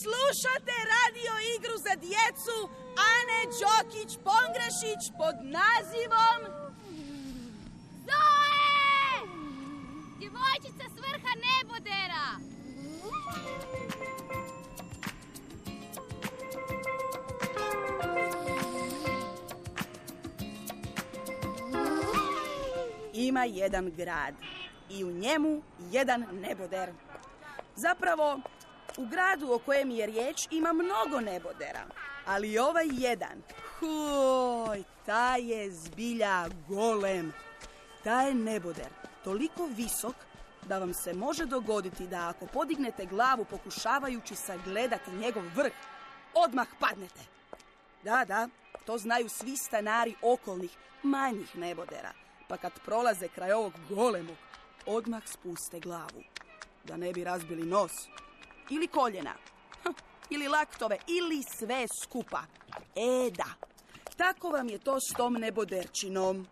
slušate radio igru za djecu Ane Đokić-Pongrešić pod nazivom Zoe! Djevojčica s vrha nebodera! Ima jedan grad i u njemu jedan neboder. Zapravo, u gradu o kojem je riječ ima mnogo nebodera, ali ovaj jedan, taj je zbilja golem. Taj je neboder toliko visok da vam se može dogoditi da ako podignete glavu pokušavajući sagledati njegov vrh, odmah padnete. Da, to znaju svi stanari okolnih manjih nebodera, pa kad prolaze kraj ovog golemog, odmah spuste glavu, da ne bi razbili nos, ili koljena, ili laktove, ili sve skupa. Da, tako vam je to s tom neboderčinom.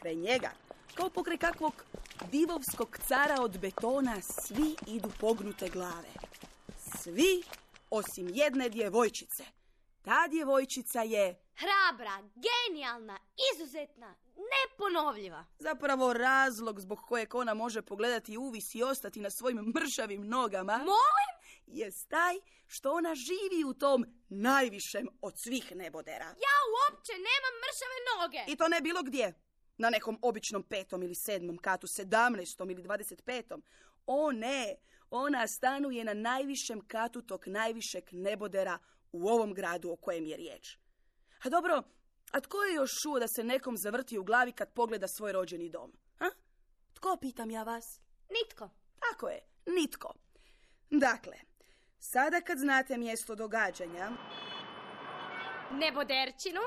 Kraj njega, kao pokraj kakvog divovskog cara od betona, svi idu pognute glave. Svi, osim jedne djevojčice. Ta djevojčica je hrabra, genijalna, izuzetna, neponovljiva. Zapravo razlog zbog kojeg ona može pogledati uvis i ostati na svojim mršavim nogama. Molim? Jest taj što ona živi u tom najvišem od svih nebodera. Ja uopće nemam mršave noge. I to ne bilo gdje. Na nekom običnom 5. ili 7. katu, 17. ili 25. O ne, ona stanuje na najvišem katu tog najvišeg nebodera u ovom gradu o kojem je riječ. A dobro, a tko je još čuo da se nekom zavrti u glavi kad pogleda svoj rođeni dom? Tko, pitam ja vas? Nitko. Tako je, nitko. Dakle, sada kad znate mjesto događanja neboderčinu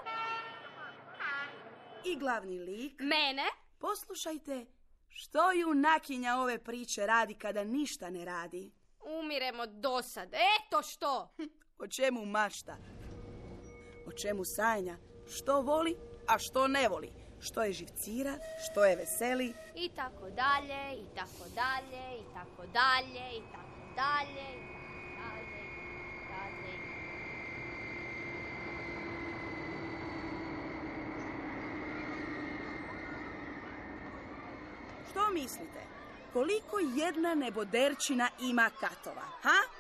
i glavni lik, mene, poslušajte što junakinja ove priče radi kada ništa ne radi. Umirem od dosade. Eto što! O čemu mašta? O čemu sanja? Što voli, a što ne voli? Što je živcira, što je veseli? I tako dalje, i tako dalje, i tako dalje, i tako dalje, i tako dalje, i tako dalje. Što mislite? Koliko jedna neboderčina ima katova?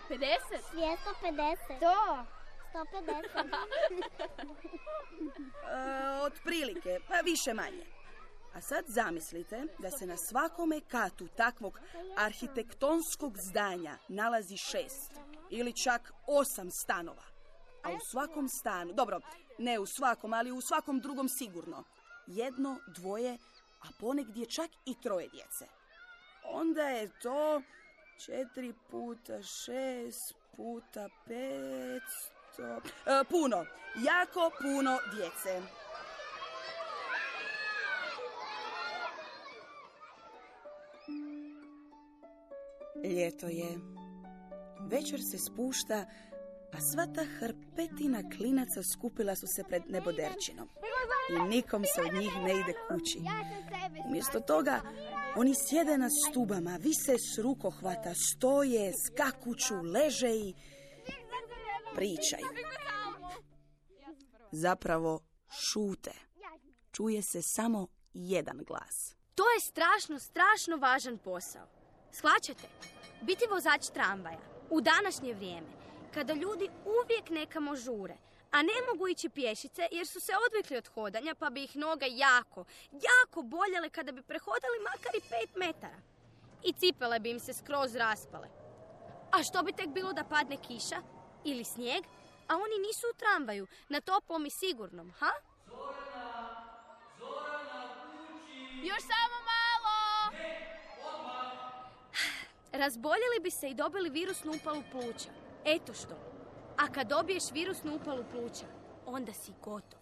50? 250. To. 150. Otprilike, pa više manje. A sad zamislite da se na svakome katu takvog arhitektonskog zdanja nalazi 6 ili čak 8 stanova. A u svakom stanu, dobro, ne u svakom, ali u svakom drugom sigurno, 1, 2, a ponegdje čak i 3 djece. Onda je to 4 puta 6 puta 500... puno, jako puno djece. Ljeto je. Večer se spušta, a sva ta hrpetina klinaca skupila su se pred neboderčinom. I nikom se od njih ne ide kući. Umjesto toga, oni sjede na stubama, vise s rukohvata, stoje, skakuću, leže i pričaju. Zapravo šute. Čuje se samo jedan glas. To je strašno važan posao. Shvaćate? Biti vozač tramvaja u današnje vrijeme, kada ljudi uvijek nekamo žure, a ne mogu ići pješice jer su se odvikli od hodanja, pa bi ih noga jako boljele kada bi prehodali makar i 5 metara. I cipele bi im se skroz raspale. A što bi tek bilo da padne kiša ili snijeg, a oni nisu u tramvaju, na toplom i sigurnom, Zorana, kući! Još samo malo! Ne, odmah! Razboljeli bi se i dobili virusnu upalu pluća. Eto što. A kad dobiješ virusnu upalu pluća, onda si gotov.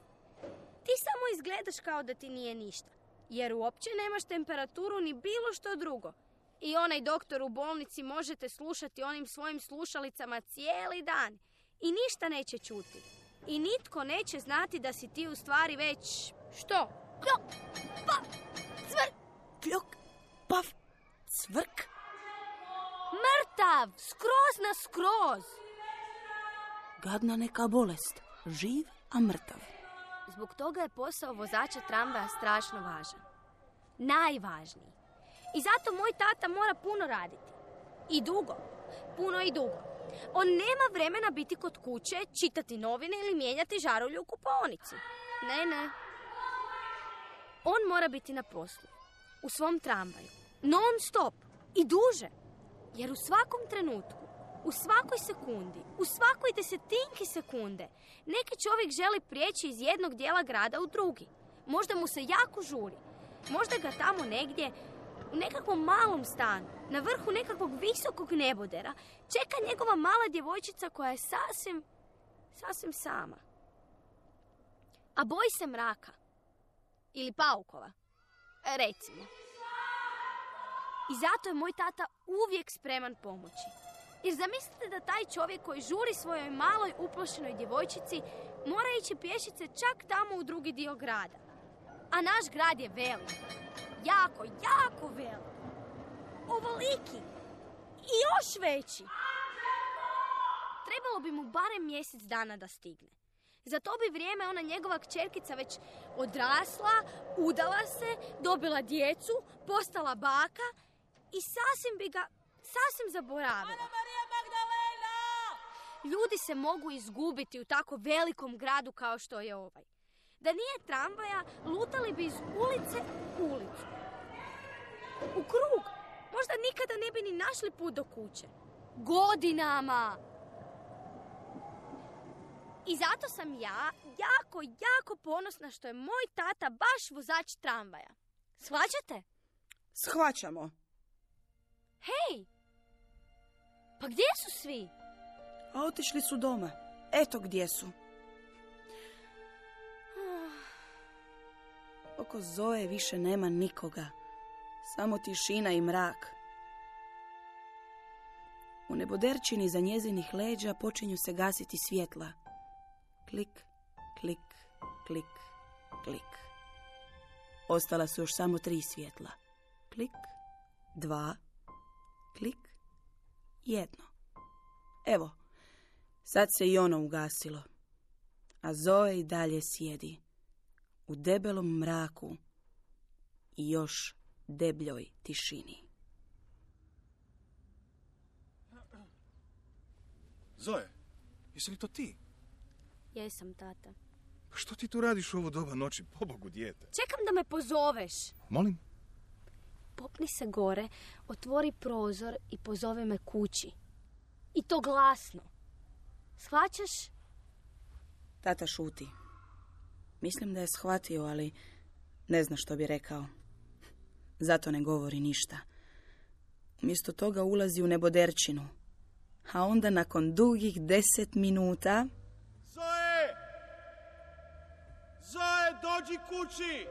Ti samo izgledaš kao da ti nije ništa, jer uopće nemaš temperaturu ni bilo što drugo. I onaj doktor u bolnici možete slušati onim svojim slušalicama cijeli dan. I ništa neće čuti. I nitko neće znati da si ti u stvari već... Što? Kljok, paf, cvrk. Kljok, paf, cvrk. Mrtav, skroz na skroz. Gadna neka bolest, živ, a mrtav. Zbog toga je posao vozača tramvaja strašno važan. Najvažniji. I zato moj tata mora puno raditi. I dugo. Puno i dugo. On nema vremena biti kod kuće, čitati novine ili mijenjati žarulju u kupaonici. Ne. On mora biti na poslu. U svom tramvaju. Non stop. I duže. Jer u svakom trenutku, u svakoj sekundi, u svakoj desetinki sekunde, neki čovjek želi prijeći iz jednog dijela grada u drugi. Možda mu se jako žuri. Možda ga tamo negdje, u nekakvom malom stanu, na vrhu nekakvog visokog nebodera, čeka njegova mala djevojčica koja je sasvim sama. A boji se mraka. Ili paukova. Recimo. I zato je moj tata uvijek spreman pomoći. Jer zamislite da taj čovjek koji žuri svojoj maloj uplašenoj djevojčici mora ići pješice čak tamo u drugi dio grada. A naš grad je velik. Jako, jako velik. Ovoliki. I još veći. Trebalo bi mu barem mjesec dana da stigne. Za to bi vrijeme ona njegova kćerkica već odrasla, udala se, dobila djecu, postala baka i sasvim bi ga zaboravila. Ljudi se mogu izgubiti u tako velikom gradu kao što je ovaj. Da nije tramvaja, lutali bi iz ulice u ulicu. U krug. Možda nikada ne bi ni našli put do kuće. Godinama. I zato sam ja jako, jako ponosna što je moj tata baš vozač tramvaja. Shvaćate? Shvaćamo. Hej! Pa gdje su svi? A otišli su doma. Eto gdje su. Oko Zoe više nema nikoga. Samo tišina i mrak. U neboderčini za njezinih leđa počinju se gasiti svjetla. Klik, klik, klik, klik. Ostala su još samo 3 svjetla. Klik, 2, klik, 1. Evo, sad se i ono ugasilo. A Zoe i dalje sjedi. U debelom mraku i još debljoj tišini. Zoe, jesi li to ti? Jesam, tata. Pa što ti tu radiš u ovo doba noći, pobogu dijete? Čekam da me pozoveš. Molim? Popni se gore, otvori prozor i pozovi me kući. I to glasno. Shvaćaš? Tata šuti. Mislim da je shvatio, ali ne zna što bi rekao. Zato ne govori ništa. Umjesto toga ulazi u neboderčinu. A onda nakon dugih 10 minuta... Zoe! Zoe, dođi kući!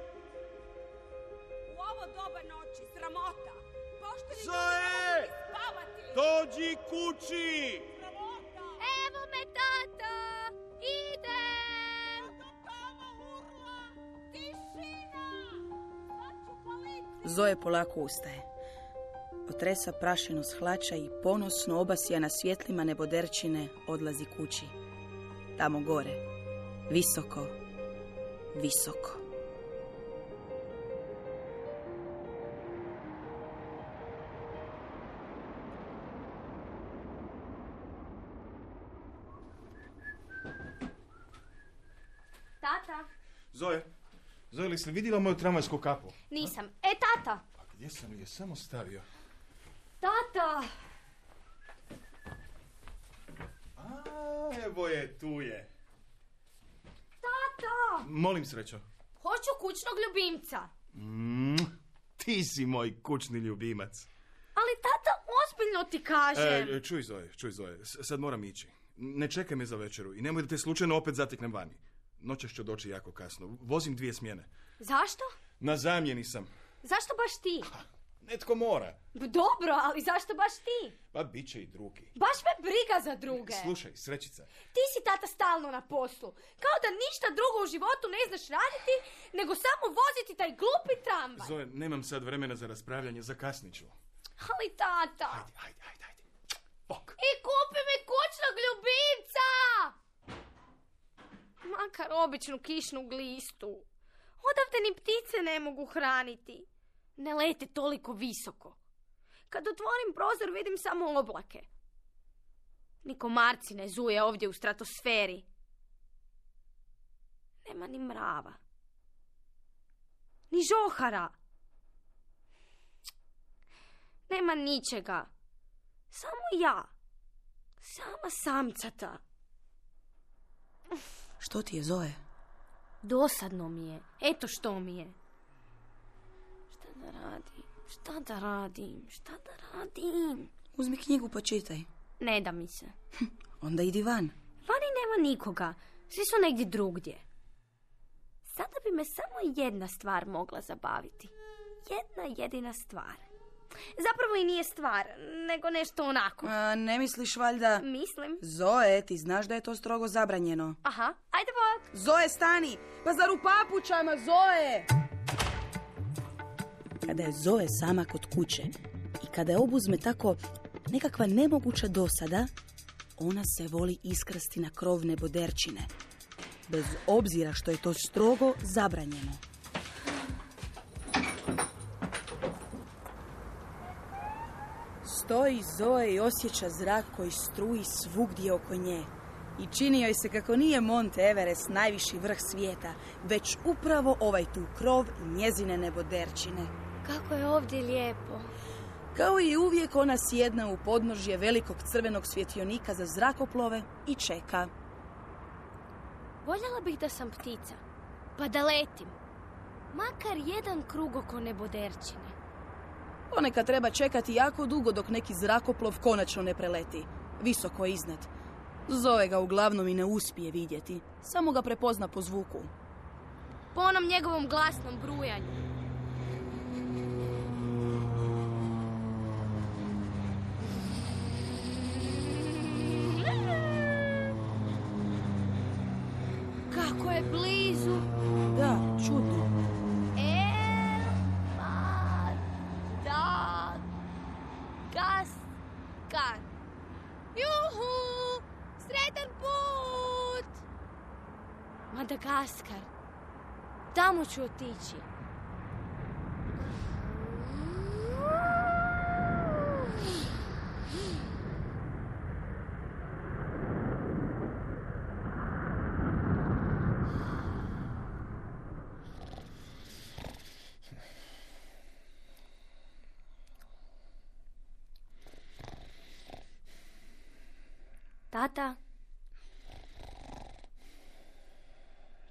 U ovo doba noći, sramota! Pošteni Zoe! ljudi spavati! Dođi kući! Sramota! Evo me, tata! Idem! Tišina! Sad ću policiju! Zoe polako ustaje. Otresa prašinu s hlača i ponosno obasjana svjetlima neboderčine odlazi kući. Tamo gore. Visoko. Visoko. Tata? Zoe, li si vidjela moju tramvajsku kapu? Nisam. Tata! Pa gdje sam je samo stavio? Tata! A, evo je, tu je. Tata! Molim, Srećo. Hoću kućnog ljubimca. Ti si moj kućni ljubimac. Ali tata, ozbiljno ti kažem. Čuj Zoe, sad moram ići. Ne čekaj me za večeru i nemoj da te slučajno opet zateknem vani. Noćas ću doći jako kasno. Vozim 2 smjene. Zašto? Na zamjeni sam. Zašto baš ti? Netko mora. Dobro, ali zašto baš ti? Pa bit će i drugi. Baš me briga za druge. Slušaj, Srećica. Ti si, tata, stalno na poslu. Kao da ništa drugo u životu ne znaš raditi, nego samo voziti taj glupi tramvaj. Zoe, nemam sad vremena za raspravljanje, zakasnit ću. Ali, tata... Ajde. Bok. I kupi mi kućnog ljubimca! makar običnu kišnu glistu. Odavde ni ptice ne mogu hraniti. Ne lete toliko visoko. Kad otvorim prozor vidim samo oblake. Ni komarci ne zuje ovdje u stratosferi. Nema ni mrava. Ni žohara. Nema ničega. Samo ja. Sama samcata. Što ti je, Zoe? Dosadno mi je. Eto što mi je. Šta da radim? Uzmi knjigu pa čitaj. Ne da mi se. Onda idi van. Vani nema nikoga. Svi su negdje drugdje. Sada bi me samo jedna stvar mogla zabaviti. Jedna jedina stvar. Zapravo i nije stvar, nego nešto onako. Ne misliš valjda... Mislim. Zoe, ti znaš da je to strogo zabranjeno. Aha, ajde bok. Zoe, stani! Pa zar u papučama, Zoe! Kada je Zoe sama kod kuće i kada je obuzme tako nekakva nemoguća dosada, ona se voli iskrasti na krov neboderčine. Bez obzira što je to strogo zabranjeno. Stoji Zoe i osjeća zrak koji struji svugdje oko nje. I čini joj se kako nije Monte Everest najviši vrh svijeta, već upravo ovaj tu krov i njezine neboderčine. Kako je ovdje lijepo. Kao i uvijek ona sjedna u podnožje velikog crvenog svjetionika za zrakoplove i čeka. Voljela bih da sam ptica, pa da letim. Makar jedan krug oko neboderčine. Ponekad treba čekati jako dugo dok neki zrakoplov konačno ne preleti, visoko iznad. Zoe ga uglavnom i ne uspije vidjeti, samo ga prepozna po zvuku. Po onom njegovom glasnom brujanju. Kako je blizu. Da, čudno. Madagaskar. Juhu! Sretan put! Madagaskar. Tamo ću otići. Tata.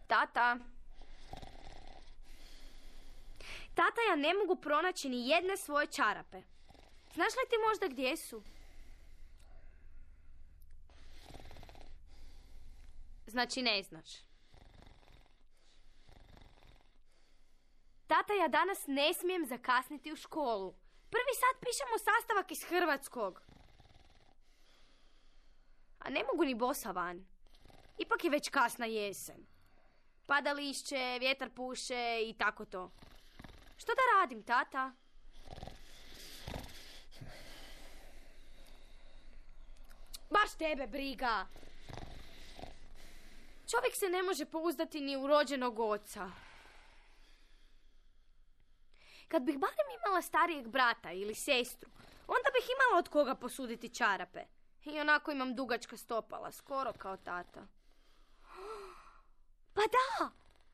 Tata. Tata, ja ne mogu pronaći ni jedne svoje čarape. Znaš li ti možda gdje su? Znači ne znaš. Tata, ja danas ne smijem zakasniti u školu. Prvi sat pišemo sastavak iz hrvatskog. A ne mogu ni bosa van. Ipak je već kasna jesen. Pada lišće, vjetar puše i tako to. Što da radim, tata? Baš tebe briga. Čovjek se ne može pouzdati ni u rođenog oca. Kad bih barem imala starijeg brata ili sestru, onda bih imala od koga posuditi čarape. I onako imam dugačka stopala, skoro kao tata. Pa da!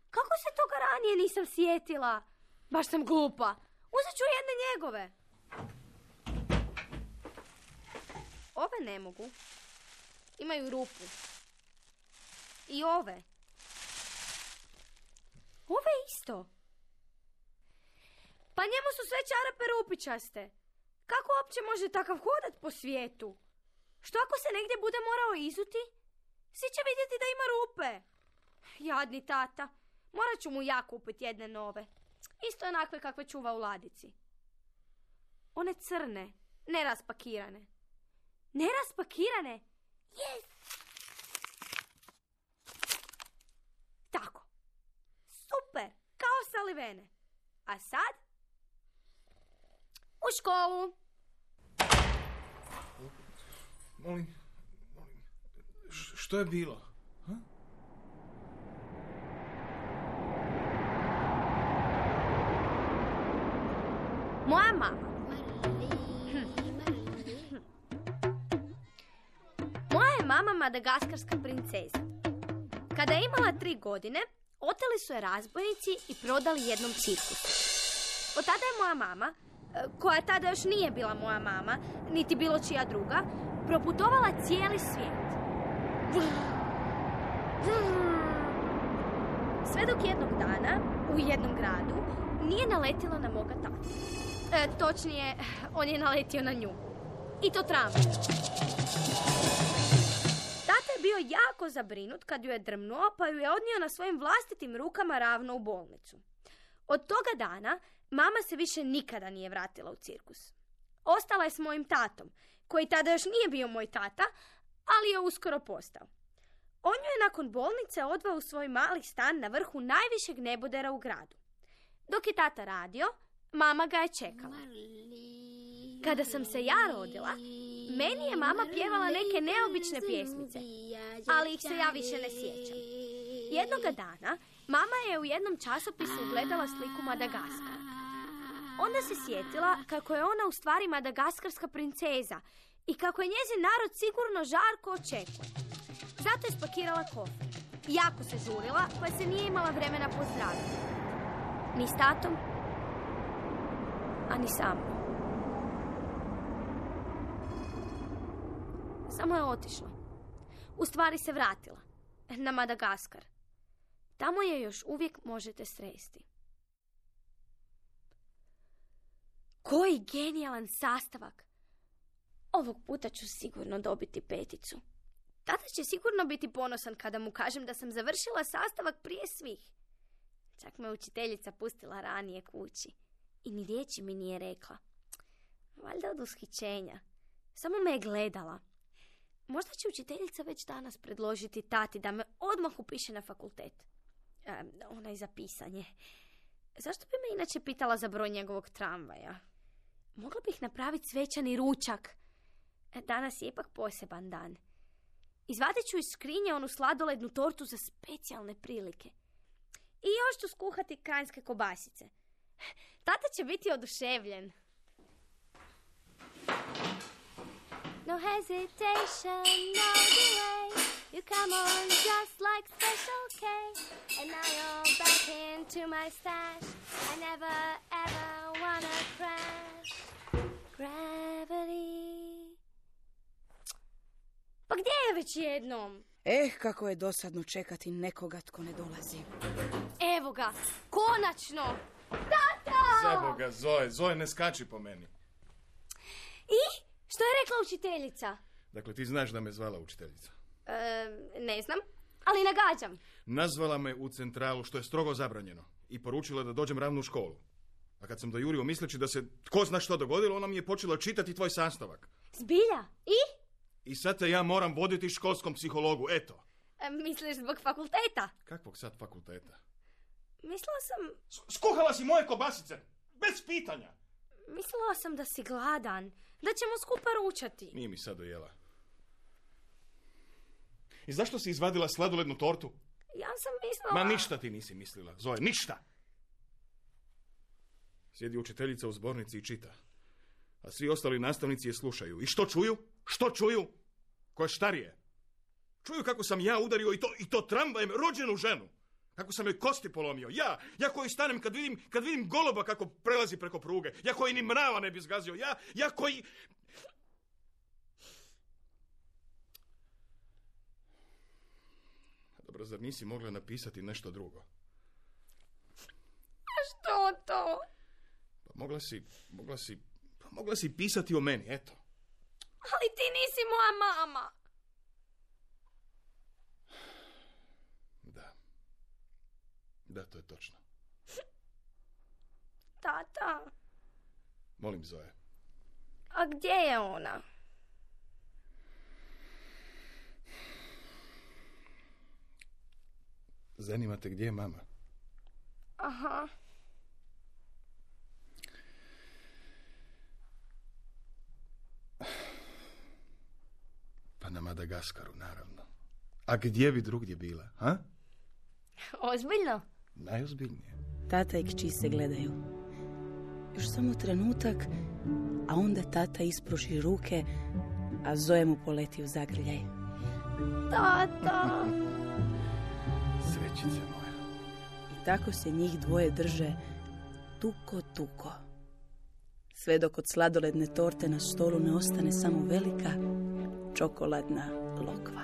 Kako se toga ranije nisam sjetila? Baš sam glupa. Uzet ću jedne njegove. Ove ne mogu. Imaju rupu. I ove. Ove isto. Pa njemu su sve čarape rupičaste. Kako uopće može takav hodat po svijetu? Što ako se negdje bude morao izuti? Svi će vidjeti da ima rupe. Jadni tata. Morat ću mu ja kupiti jedne nove. Isto onakve kakve čuva u ladici. One crne, neraspakirane. Neraspakirane? Yes! Tako. Super, kao salivene. A sad? U školu. Molim, što je bilo? Ha? je mama madagaskarska princeza. Kada je imala 3 godine, oteli su je razbojnici i prodali jednom cirkusu. Od tada je moja mama, koja tada još nije bila moja mama, niti bilo čija druga, proputovala cijeli svijet. Sve dok jednog dana, u jednom gradu, nije naletila na moga tatu. Točnije, on je naletio na nju. I to tramvaj. Tata je bio jako zabrinut kad ju je drmnuo, pa ju je odnio na svojim vlastitim rukama ravno u bolnicu. Od toga dana mama se više nikada nije vratila u cirkus. Ostala je s mojim tatom, koji tada još nije bio moj tata, ali je uskoro postao. On ju je nakon bolnice odveo u svoj mali stan na vrhu najvišeg nebodera u gradu. Dok je tata radio, mama ga je čekala. Kada sam se ja rodila, meni je mama pjevala neke neobične pjesmice, ali ih se ja više ne sjećam. Jednoga dana, mama je u jednom časopisu ugledala sliku Madagaskara. Onda se sjetila kako je ona u stvari madagaskarska princeza i kako je njezin narod sigurno žarko očekuje. Zato je spakirala kofer. Jako se žurila, pa se nije imala vremena pozdraviti. Ni s tatom, a ni sa mnom. Samo je otišla. U stvari se vratila. Na Madagaskar. Tamo je još uvijek možete sresti. Koji genijalan sastavak! Ovog puta ću sigurno dobiti 5. Tata će sigurno biti ponosan kada mu kažem da sam završila sastavak prije svih. Čak me učiteljica pustila ranije kući. I ni riječi mi nije rekla. Valjda od ushićenja. Samo me je gledala. Možda će učiteljica već danas predložiti tati da me odmah upiše na fakultet. Onaj za pisanje. Zašto bi me inače pitala za broj njegovog tramvaja? Mogla bih napraviti svečani ručak. Danas je ipak poseban dan. Izvadit ću iz skrinje onu sladolednu tortu za specijalne prilike. I još ću skuhati kranjske kobasice. Tata će biti oduševljen. No hesitation, no delay. You come on just like Special K. And now you're back into my stash. I never ever wanna crash. Gravity. Pa gdje je već jednom? Kako je dosadno čekati nekoga tko ne dolazi. Evo ga, konačno! Tata! Za Boga, Zoe, ne skači po meni. I? Što je rekla učiteljica? Dakle, ti znaš da me zvala učiteljica. Ne znam, ali nagađam. Nazvala me u centralu, što je strogo zabranjeno, i poručila da dođem ravno u školu. A kad sam dojurio misleći da se tko zna što dogodilo, ona mi je počela čitati tvoj sastavak. Zbilja? I? I sad te ja moram voditi školskom psihologu, eto. Misliš zbog fakulteta? Kakvog sad fakulteta? Mislila sam... Skuhala si moje kobasice, bez pitanja. Mislila sam da si gladan, da ćemo skupa ručati. Nije mi sad dojela. I zašto si izvadila sladolednu tortu? Ja sam mislila... Ma ništa ti nisi mislila, Zoe, ništa. Sjedi učiteljica u zbornici i čita. A svi ostali nastavnici je slušaju. I što čuju? Što čuju? Ko je štarije? Čuju kako sam ja udario i to tramvajem rođenu ženu. Kako sam joj kosti polomio. Ja koji stanem kad vidim goloba kako prelazi preko pruge. Ja koji ni mrava ne bi zgazio. Ja koji... Dobro, zar nisi mogla napisati nešto drugo? A što to? Pa mogla si pisati o meni, eto. Ali ti nisi moja mama. Da, to je točno. Tata. Molim, Zoe. A gdje je ona? Zanima te gdje je mama? Aha. Pa na Madagaskaru, naravno. A gdje bi drugdje bila, ha? Ozbiljno? Najozbiljnije. Tata i kći se gledaju. Još samo trenutak, a onda tata ispruži ruke, a Zoe mu poleti u zagrljaj. Tata. Srećice moja. I tako se njih dvoje drže tuko. Sve dok od sladoledne torte na stolu ne ostane samo velika čokoladna lokva.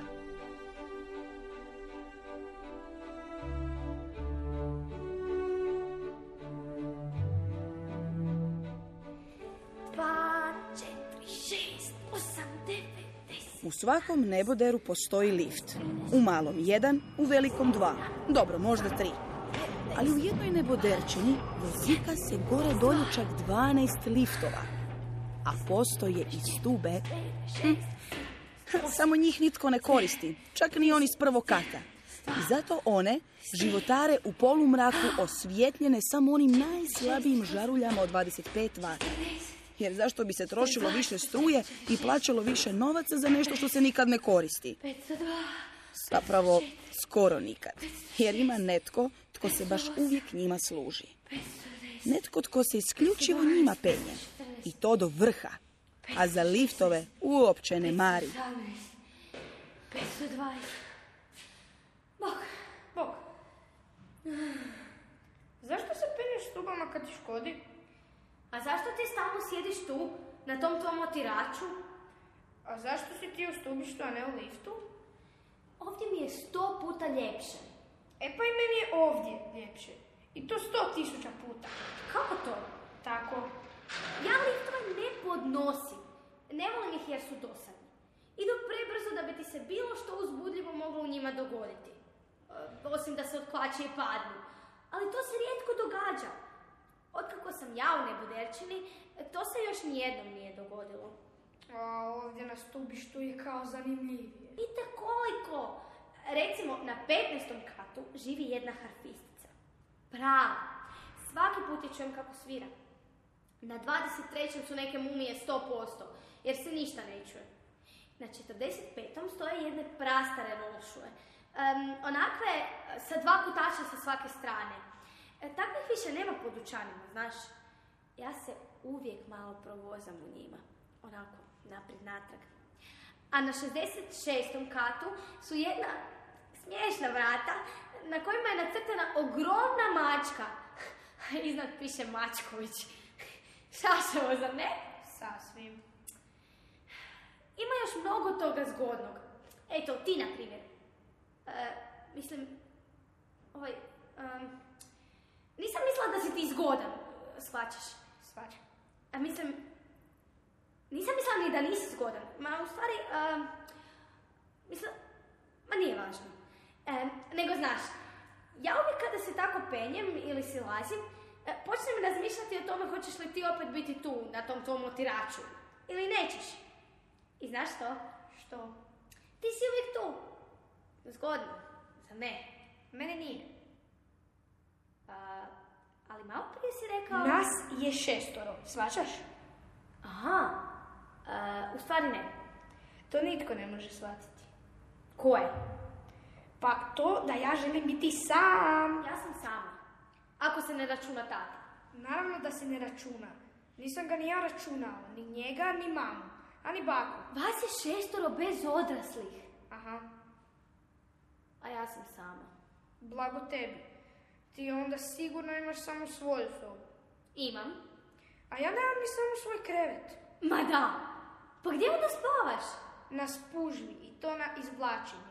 U svakom neboderu postoji lift. U malom 1, u velikom 2. Dobro, možda 3. Ali u jednoj neboderčini vozika se gore dolje čak 12 liftova. A postoje i stube. Samo njih nitko ne koristi, čak ni oni s prvog kata. I zato one životare u polumraku osvjetljene samo onim najslabijim žaruljama od 25 vata. Jer zašto bi se trošilo više struje i plaćalo više novaca za nešto što se nikad ne koristi? Zapravo, skoro nikad. Jer ima netko tko se baš uvijek njima služi. Netko tko se isključivo njima penje. I to do vrha. A za liftove uopće ne mari. 520. Bog. Zašto se penješ stubama kad ti škodi? A zašto ti stalno sjediš tu, na tom tvom otiraču? A zašto si ti u stubištu, a ne u liftu? Ovdje mi je 100 puta ljepše. E pa i meni je ovdje ljepše. I to 100.000 puta. Kako to? Tako. Ja liftove ne podnosim. Ne volim ih jer su dosadni. Idu prebrzo da bi ti se bilo što uzbudljivo moglo u njima dogoditi. Osim da se otklače i padnu. Ali to se rijetko događa. Otkako sam ja u neboderčini, to se još nijednom nije dogodilo. A ovdje na stubištu je kao zanimljivije. Vidite koliko! Recimo, na 15. katu živi jedna harfistica. Prava. Svaki put je čujem kako svira. Na 23. su neke mumije 100%, jer se ništa ne čuje. Na 45. stoje jedne prastare rolšuje. Onakve sa 2 kutača sa svake strane. Takvih više nema po dućanima, znaš. Ja se uvijek malo provozam u njima. Onako, naprijed natrag. A na 66. katu su jedna smiješna vrata na kojima je nacrtana ogromna mačka. Iznad piše Mačković. Šašavo, zar ne? Sasvim. Ima još mnogo toga zgodnog. Eto, ti na primjer. Nisam mislila da si ti zgodan, shvaćaš? Shvaćam. Nisam mislila ni da nisi zgodan. Ma, u stvari, nije važno. Nego znaš, ja uvijek kada se tako penjem ili si lazim, počnem razmišljati o tome hoćeš li ti opet biti tu, na tom tvom otiraču. Ili nećeš. I znaš što? Što? Ti si uvijek tu. Zgodno. Za ne. Mene nije. Ali malo prije si rekao... Nas je 6, shvaćaš? Aha. U stvari ne. To nitko ne može shvatiti. Ko je? Pa to da ja želim biti sam. Ja sam sama. Ako se ne računa tata. Naravno da se ne računa. Nisam ga ni ja računala. Ni njega, ni mamu. A ni baku. Vas je 6 bez odraslih. Aha. A ja sam sama. Blago tebi. Ti onda sigurno imaš samo svoju sobu. Imam. A ja nemam ni samo svoj krevet. Ma da. Pa gdje onda spavaš? Na spužvi i to na izvlačenje.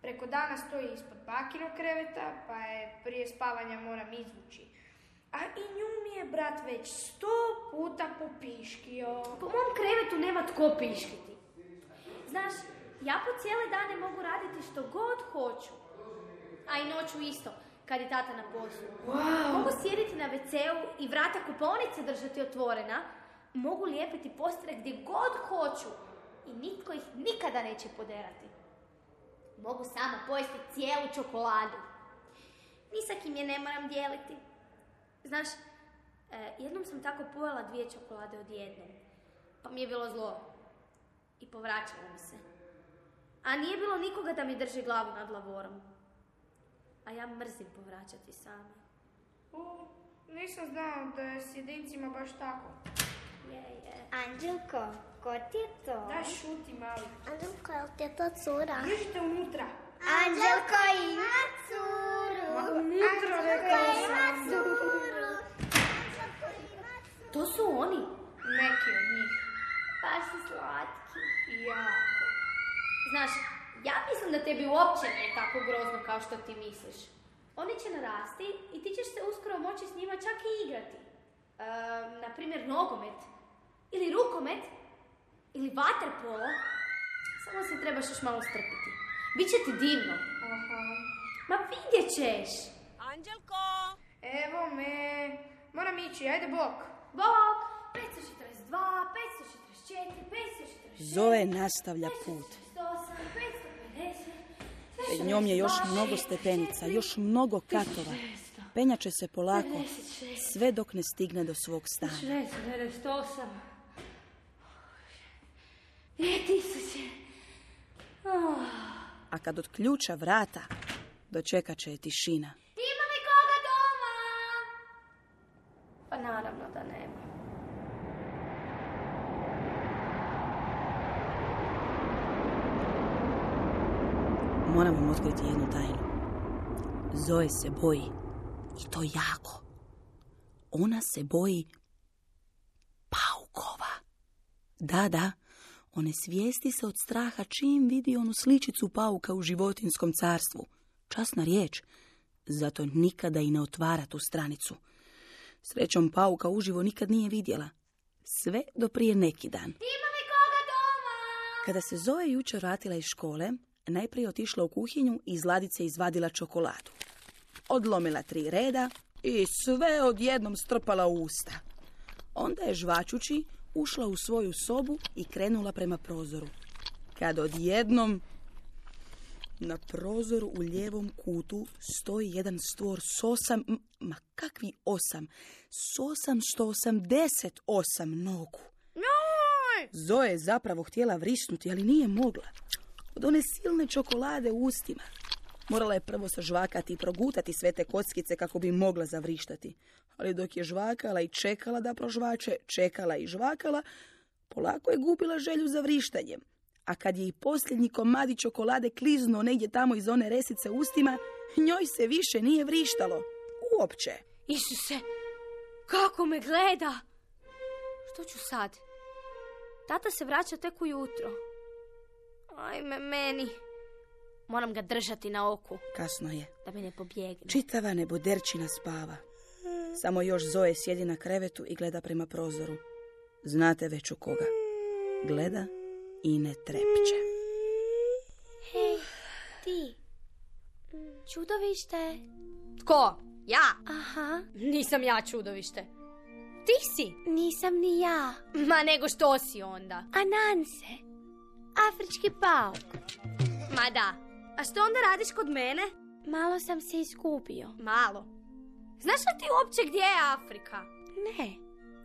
Preko dana stoji ispod bakinog kreveta, pa je prije spavanja moram izvući. A i nju mi je brat već 100 puta popiškio. Po mom krevetu nema tko piškiti. Znaš, ja po cijele dane mogu raditi što god hoću. A i noću isto, kad je tata na poslu. Wow. Mogu sjediti na WC-u i vrata kupaonice držati otvorena. Mogu lijepiti postere gdje god hoću. I nitko ih nikada neće poderati. Mogu sama pojesti cijelu čokoladu. Ni sa kim je ne moram dijeliti. Znaš, jednom sam tako pojela 2 čokolade odjednom. Pa mi je bilo zlo. I povraćala mi se. A nije bilo nikoga da mi drži glavu nad lavorom. A ja mrzim povraćati sama. Nisam znao da je s jedincima baš tako. Anđelko, ko ti je to? Daj, šuti mali. Anđelko, je li ti je to cura? Držite unutra. Anđelko ima curu. Unutra, rekao sam. To su oni. Neki od njih. Baš su slatki. Jako. Znaš, ja mislim da tebi uopće nije tako grozno kao što ti misliš. Oni će narasti i ti ćeš se uskoro moći s njima čak i igrati. Naprimjer, nogomet. Ili rukomet. Ili vaterpolo. Samo se trebaš još malo strpiti. Biće ti divno. Aha. Ma vidjet ćeš. Anđelko! Evo me. Moram ići, ajde bok. Bok, 542, 544, 546. Zoe nastavlja put. 548, 550. Pred njom je još mnogo stepenica, još mnogo katova. Penjače se polako, sve dok ne stigne do svog stana. 698. 2000. A kad otključa vrata, dočekat će je tišina. Ima li koga doma? Pa naravno da nema. Moram vam otkriti jednu tajnu. Zoe se boji. I to jako. Ona se boji paukova. Da, one svijesti se od straha čim vidi onu sličicu pauka u životinjskom carstvu. Časna riječ. Zato nikada i ne otvara tu stranicu. Srećom pauka uživo nikad nije vidjela. Sve do prije neki dan. Ima li koga doma? Kada se Zoe jučer vratila iz škole, najprije otišla u kuhinju i iz ladice izvadila čokoladu. Odlomila 3 reda i sve odjednom strpala u usta. Onda je žvačući ušla u svoju sobu i krenula prema prozoru. Kad odjednom na prozoru u lijevom kutu stoji jedan stvor s 8, ma kakvi 8, s 888 nogu. Zoe je zapravo htjela vrisnuti, ali nije mogla. Od one silne čokolade u ustima. Morala je prvo sažvakati i progutati sve te kockice kako bi mogla zavrištati. Ali dok je žvakala i čekala da prožvače, čekala i žvakala, polako je gubila želju za vrištanjem. A kad je i posljednji komadi čokolade kliznuo negdje tamo iz one resice u ustima, njoj se više nije vrištalo. Uopće. Isuse, kako me gleda! Što ću sad? Tata se vraća tek ujutro. Ajme meni. Moram ga držati na oku. Kasno je. Da me ne pobjegne. Čitava neboderčina spava. Samo još Zoe sjedi na krevetu i gleda prema prozoru. Znate već u koga. Gleda i ne trepće. Hej, ti. Čudovište. Tko? Ja? Aha. Nisam ja čudovište. Ti si. Nisam ni ja. Ma nego što si onda? Ananse. Afrički pauk. Ma da. A što onda radiš kod mene? Malo sam se iskupio. Malo. Znaš li ti uopće gdje je Afrika? Ne.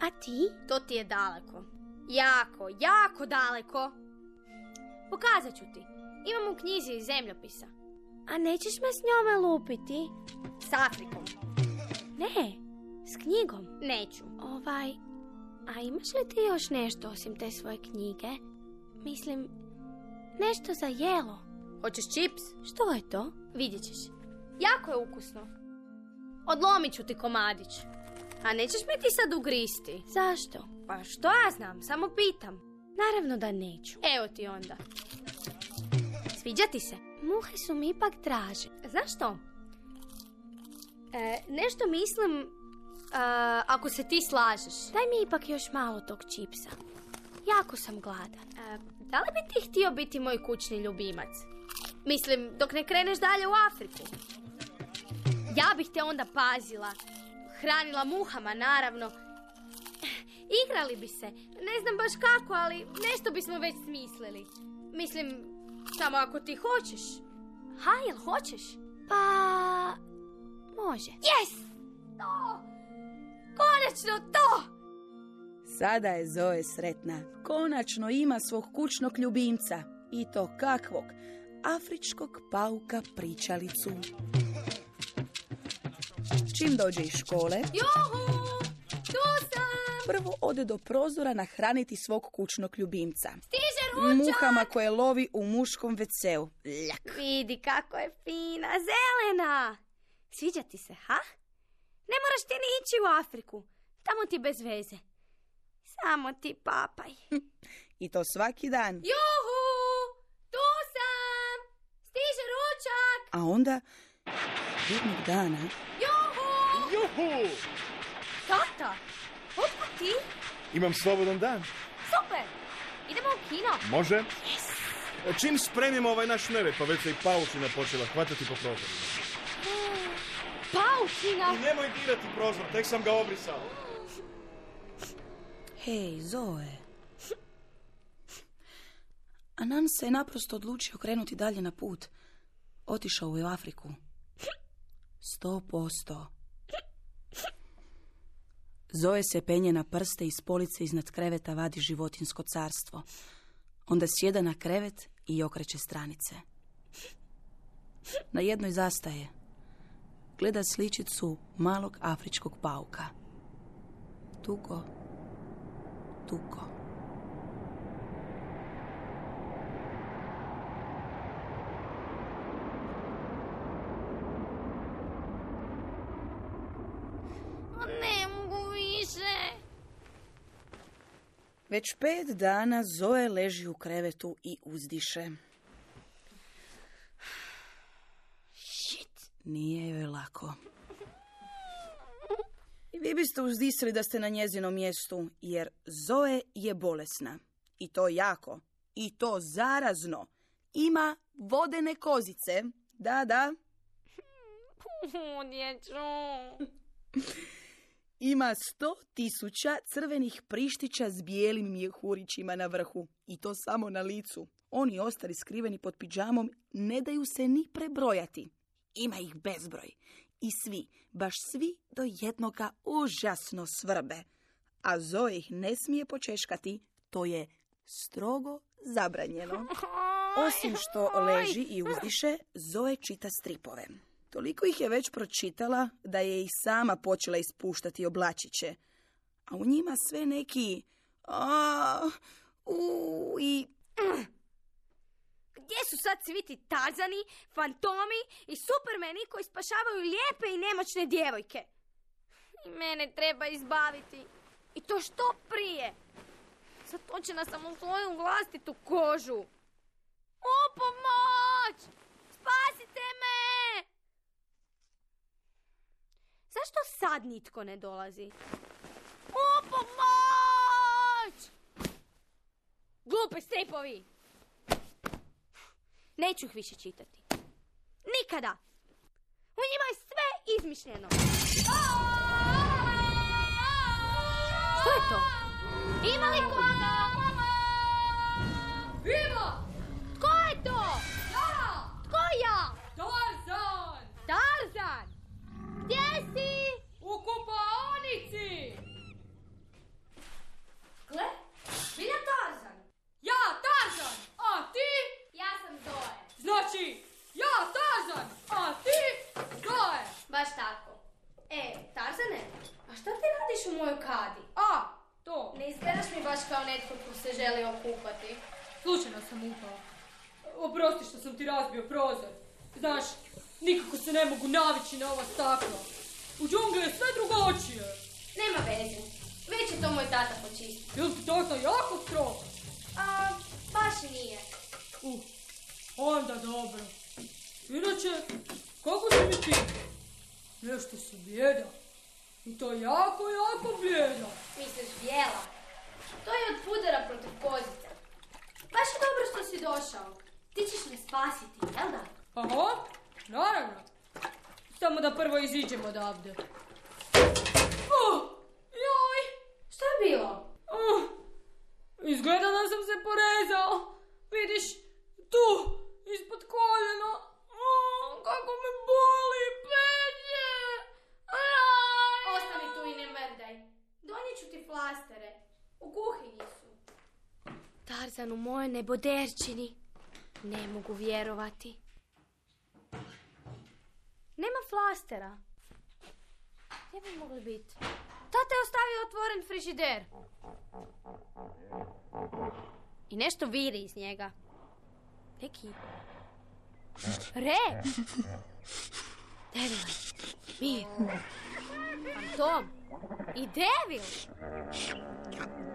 A ti? To ti je daleko. Jako, jako daleko. Pokazat ću ti. Imam u knjizi iz zemljopisa. A nećeš me s njome lupiti? S Afrikom. Ne, s knjigom. Neću. A imaš li ti još nešto osim te svoje knjige? Mislim, nešto za jelo. Hoćeš čips? Što je to? Vidjet ćeš. Jako je ukusno. Odlomit ću ti komadić. A nećeš mi ti sad ugristi? Zašto? Pa što ja znam, samo pitam. Naravno da neću. Evo ti onda. Sviđa ti se? Muhe su mi ipak draže. Znaš što? Nešto mislim, ako se ti slažeš. Daj mi ipak još malo tog čipsa. Jako sam gladan. Da li bi ti htio biti moj kućni ljubimac? Mislim, dok ne kreneš dalje u Afriku. Ja bih te onda pazila. Hranila muhama, naravno. Igrali bi se. Ne znam baš kako, ali nešto bismo već smislili. Mislim, samo ako ti hoćeš. Ha, jel hoćeš? Pa... može. Yes! To! Konačno to! Sada je Zoe sretna. Konačno ima svog kućnog ljubimca. I to kakvog? Afričkog pauka pričalicu. Čim dođe iz škole... Juhu! Tu sam! prvo ode do prozora nahraniti svog kućnog ljubimca. Stiže ručak! Muhama koje lovi u muškom WC-u. Ljak. Vidi kako je fina, zelena. Sviđa ti se, ha? Ne moraš ti ni ići u Afriku. Tamo ti bez veze. Samo ti papaj. I to svaki dan. Juhu! Tu sam! Stiže ručak! A onda, jednog dana, Juhu! Tata, otkud ti? Imam slobodan dan. Super! Idemo u kino. Može? Čim spremimo ovaj naš nered, pa već se i paučina počela hvatati po prozoru. Paučina! I nemoj dirati prozor, tek sam ga obrisao. hej, Zoe. Anan se je naprosto odlučio krenuti dalje na put. Otišao je u Afriku. 100%. Zoe se penje na prste i s police iznad kreveta vadi životinjsko carstvo. Onda sjeda na krevet i okreće stranice. Na jednoj zastaje. Gleda sličicu malog afričkog pauka. Tuko, tuko. Ne mogu više. Već 5 dana Zoe leži u krevetu i uzdiše. Shit. Nije joj lako. I vi biste uzdisali da ste na njezinom mjestu, jer Zoe je bolesna. I to jako. I to zarazno. Ima vodene kozice. Da, da. Dječu. Ima 100.000 crvenih prištića s bijelim mjehurićima na vrhu. I to samo na licu. Oni ostali skriveni pod pidžamom ne daju se ni prebrojati. Ima ih bezbroj. I svi, baš svi do jednoga užasno svrbe. A Zoe ih ne smije počeškati. To je strogo zabranjeno. Osim što leži i uzdiše, Zoe čita stripove. Toliko ih je već pročitala da je i sama počela ispuštati oblačiće. A u njima sve neki i Gdje su sad svi ti Tarzani, fantomi i supermeni koji spašavaju lijepe i nemoćne djevojke? I mene treba izbaviti. I to što prije. Zatočena sam u svoju vlastitu kožu. O, pomoć! Spasite me! Zašto sad nitko ne dolazi? O, pomoć! Glupi stripovi! Neću ih više čitati. Nikada! U njima je sve izmišljeno. Što je to? Ima li koga? Viva! Tko je to? Ja! Tko ja? Tarzan! Tarzan! Gdje si? U kupaonici! Gle, bilja Tarzan. Ja, Tarzan! A ti? Ja sam Zoe. Znači, ja, Tarzan! A ti? Zoe! Baš tako. Tarzane, a šta ti radiš u mojoj kadi? A, to. Ne izgledaš mi baš kao netko ko se želi okupati. Slučajno sam upao. Oprosti što sam ti razbio prozor. Znaš, nikako se ne mogu navići na ova stakla. U džungli je sve drugačije. Nema veze. Već je to moj tata počistio. Jel ti tata jako strog? Baš i nije. Onda dobro. Inače, kako si mi ti? Nešto si bijeda. I to jako, jako bijeda. Misliš bijela? To je od pudara protiv kozica. Baš je dobro što si došao. Ti ćeš me spasiti, jel da? Aha, naravno. Samo da prvo iziđemo odavde. Joj! Što je bilo? Izgleda da sam se porezao. Vidiš, tu, ispod koljena. Kako me boli, peče. Ostani tu i ne mrdaj. Donijet ću ti flastere. U kuhinji su. Tarzan u mojoj neboderčini. Ne mogu vjerovati. Nema flastera. Gdje bi mogli biti? Tata je ostavio otvoren frižider. I nešto viri iz njega. Neki Re! Devil, mir, Fantom i Devil.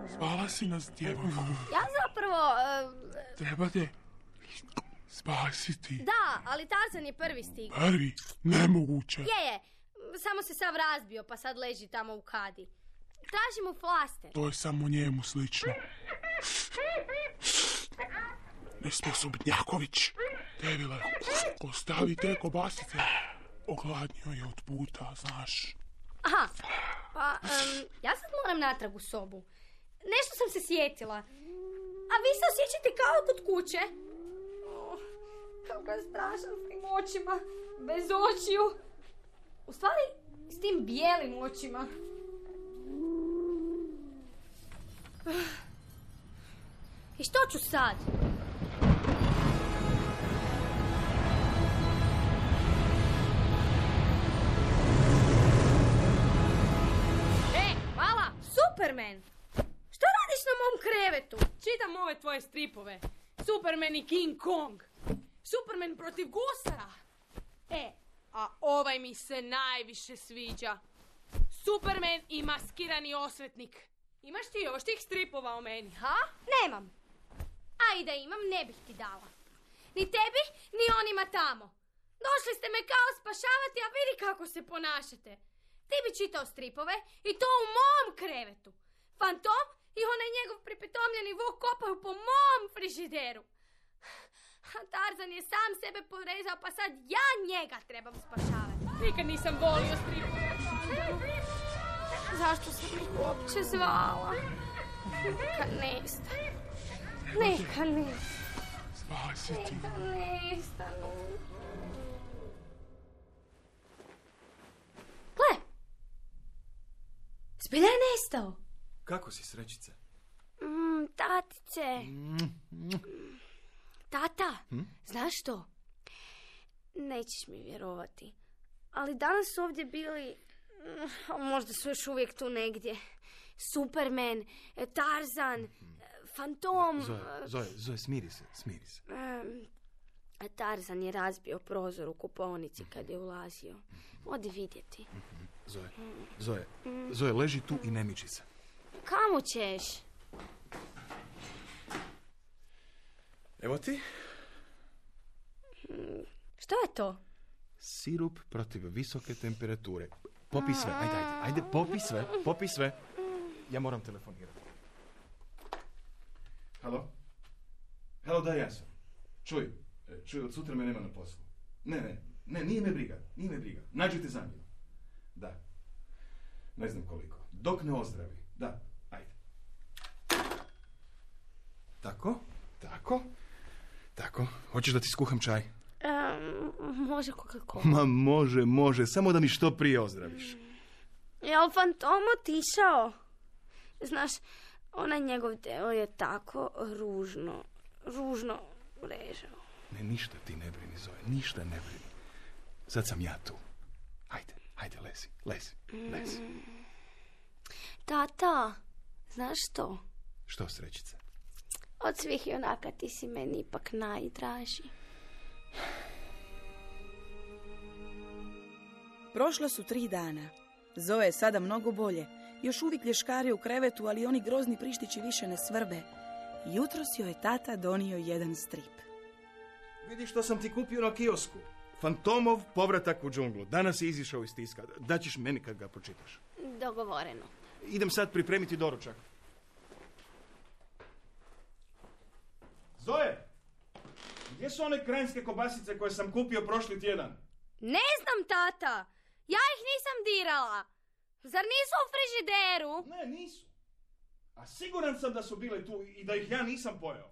Zvala si nas, djevojko. Ja zapravo... Treba te spasiti. Da, ali Tarzan je prvi stigao. Prvi? Nemoguće. Je. Samo se sav razbio, pa sad leži tamo u kadi. Traži mu flaster. To je samo njemu slično. Nesposobnjaković. Devile, ostavi te kobasice. Ogladnio je od puta, znaš. Aha, pa ja sad moram natrag u sobu. Nešto sam se sjetila. A vi se osjećate kao kod kuće? Kako je strašan s tim očima. Bez očiju. U stvari, s tim bijelim očima. I što ću sad? Mala! Superman! Što radiš na mom krevetu? Čitam ove tvoje stripove. Superman i King Kong. Superman protiv gusara. A ovaj mi se najviše sviđa. Superman i maskirani osvetnik. Imaš ti još tih stripova o meni, ha? Nemam. A i da imam, ne bih ti dala. Ni tebi, ni onima tamo. Došli ste me kao spašavati, a vidi kako se ponašate. Ti bi čitao stripove i to u mom krevetu. Fantom i onaj njegov pripitomljeni vuk kopaju po mom frižideru. A Tarzan je sam sebe porezao, pa sad ja njega trebam spašavati. Nikad nisam volio stripove. Zašto sam ih uopće zvala? Neka nestanu. Neka nestanu. Spasiti. Neka nestanu. Gle! Zbilja je nestao. Kako si, srećice? Tatice. Tata, znaš što? Nećeš mi vjerovati. Ali danas su ovdje bili, možda su još uvijek tu negdje, Superman, Tarzan, Fantom. Zoe, smiri se. Tarzan je razbio prozor u kupaonici kad je ulazio. Odi vidjeti. Zoe, leži tu i ne miči se. Kamo ćeš? Evo ti. Što je to? Sirup protiv visoke temperature. Popi sve, ajde, popi sve. Ja moram telefonirati. Halo, da, ja sam. Čuj, od sutra me nema na poslu. Ne, nije me briga. Nađite zamjenu. Da. Ne znam koliko. Dok ne ozdravi. Da, ajde. Tako. Hoćeš da ti skuham čaj? Može Coca-Cola. Ma može, samo da mi što prije ozdraviš. Jel Fantom otišao? Znaš, onaj njegov deo je tako ružno režao. Ne, ništa ti ne brini, Zoe, ništa ne brini. Sad sam ja tu. Ajde, lezi. Tata, znaš što? Što, srećice? Od svih junaka ti si meni ipak najdraži. Prošla su 3 dana. Zoe je sada mnogo bolje. Još uvijek lješkari u krevetu, ali oni grozni prištići više ne svrbe. Jutros joj je tata donio jedan strip. Vidi što sam ti kupio na kiosku. Fantomov povratak u džunglu. Danas je izišao iz tiska. Daćeš meni kad ga pročitaš. Dogovoreno. Idem sad pripremiti doručak. Zoe! Gdje su one krajinske kobasice koje sam kupio prošli tjedan? Ne znam, tata. Ja ih nisam dirala. Zar nisu u frižideru? Ne, nisu. A siguran sam da su bile tu i da ih ja nisam pojeo.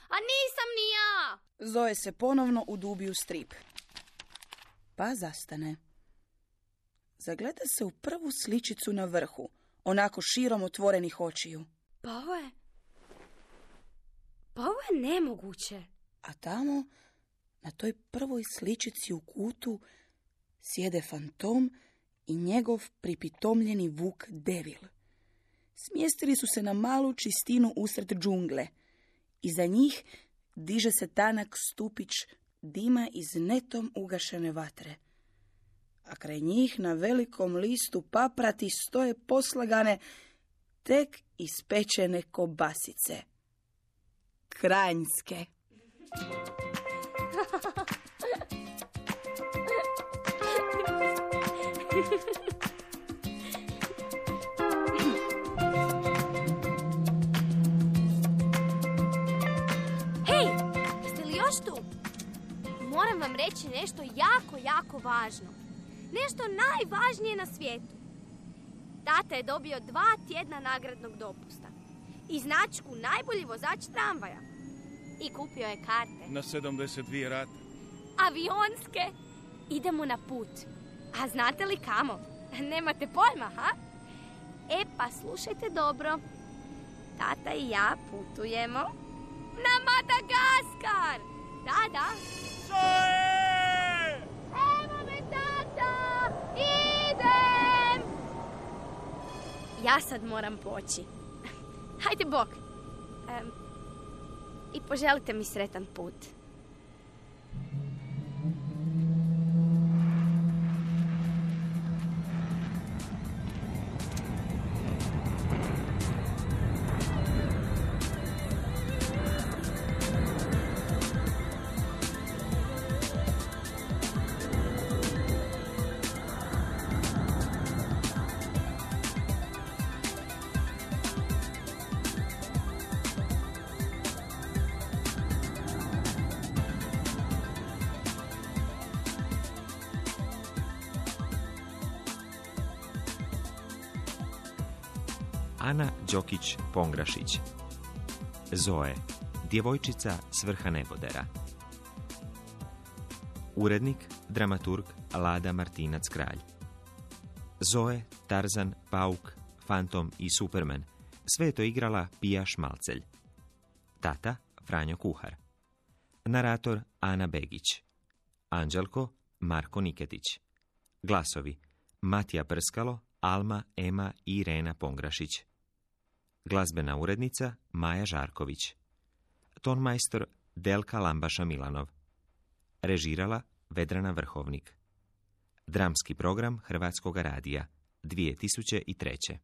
A nisam ni ja. Zoe se ponovno udubi u strip. Pa zastane. Zagleda se u prvu sličicu na vrhu, onako širom otvorenih očiju. Pa ovo je nemoguće. A tamo, na toj prvoj sličici u kutu, sjede Fantom i njegov pripitomljeni vuk Devil. Smjestili su se na malu čistinu usred džungle. Iza njih diže se tanak stupić dima iz netom ugašene vatre. A kraj njih na velikom listu paprati stoje poslagane tek ispečene kobasice. Kranjske. Hej, jeste li još tu? Moram vam reći nešto jako važno. Nešto najvažnije na svijetu. Tata je dobio 2 tjedna nagradnog dopusta i značku najbolji vozač tramvaja. I kupio je karte. Na 72 rate. Avionske. Idemo na put. A znate li kamo? Nemate pojma, ha? E pa slušajte dobro. Tata i ja putujemo na Madagaskar. Da. Zoe! Evo me, tata! Idem! Ja sad moram poći. Hajde, bok. I poželite mi sretan put. Ana Đokić-Pongrašić. Zoe, djevojčica s vrha nebodera. Urednik, dramaturg Lada Martinac-Kralj. Zoe, Tarzan, Pauk, Fantom i Superman. Sve je to igrala Pija Šmalcelj. Tata, Franjo Kuhar. Narator, Ana Begić. Anđelko, Marko Niketić. Glasovi, Matija Prskalo, Alma, Ema i Irena Pongrašić. Glazbena urednica Maja Žarković. Tonmajstor Delka Lambaša Milanov. Režirala Vedrana Vrhovnik. Dramski program Hrvatskoga radija 2003.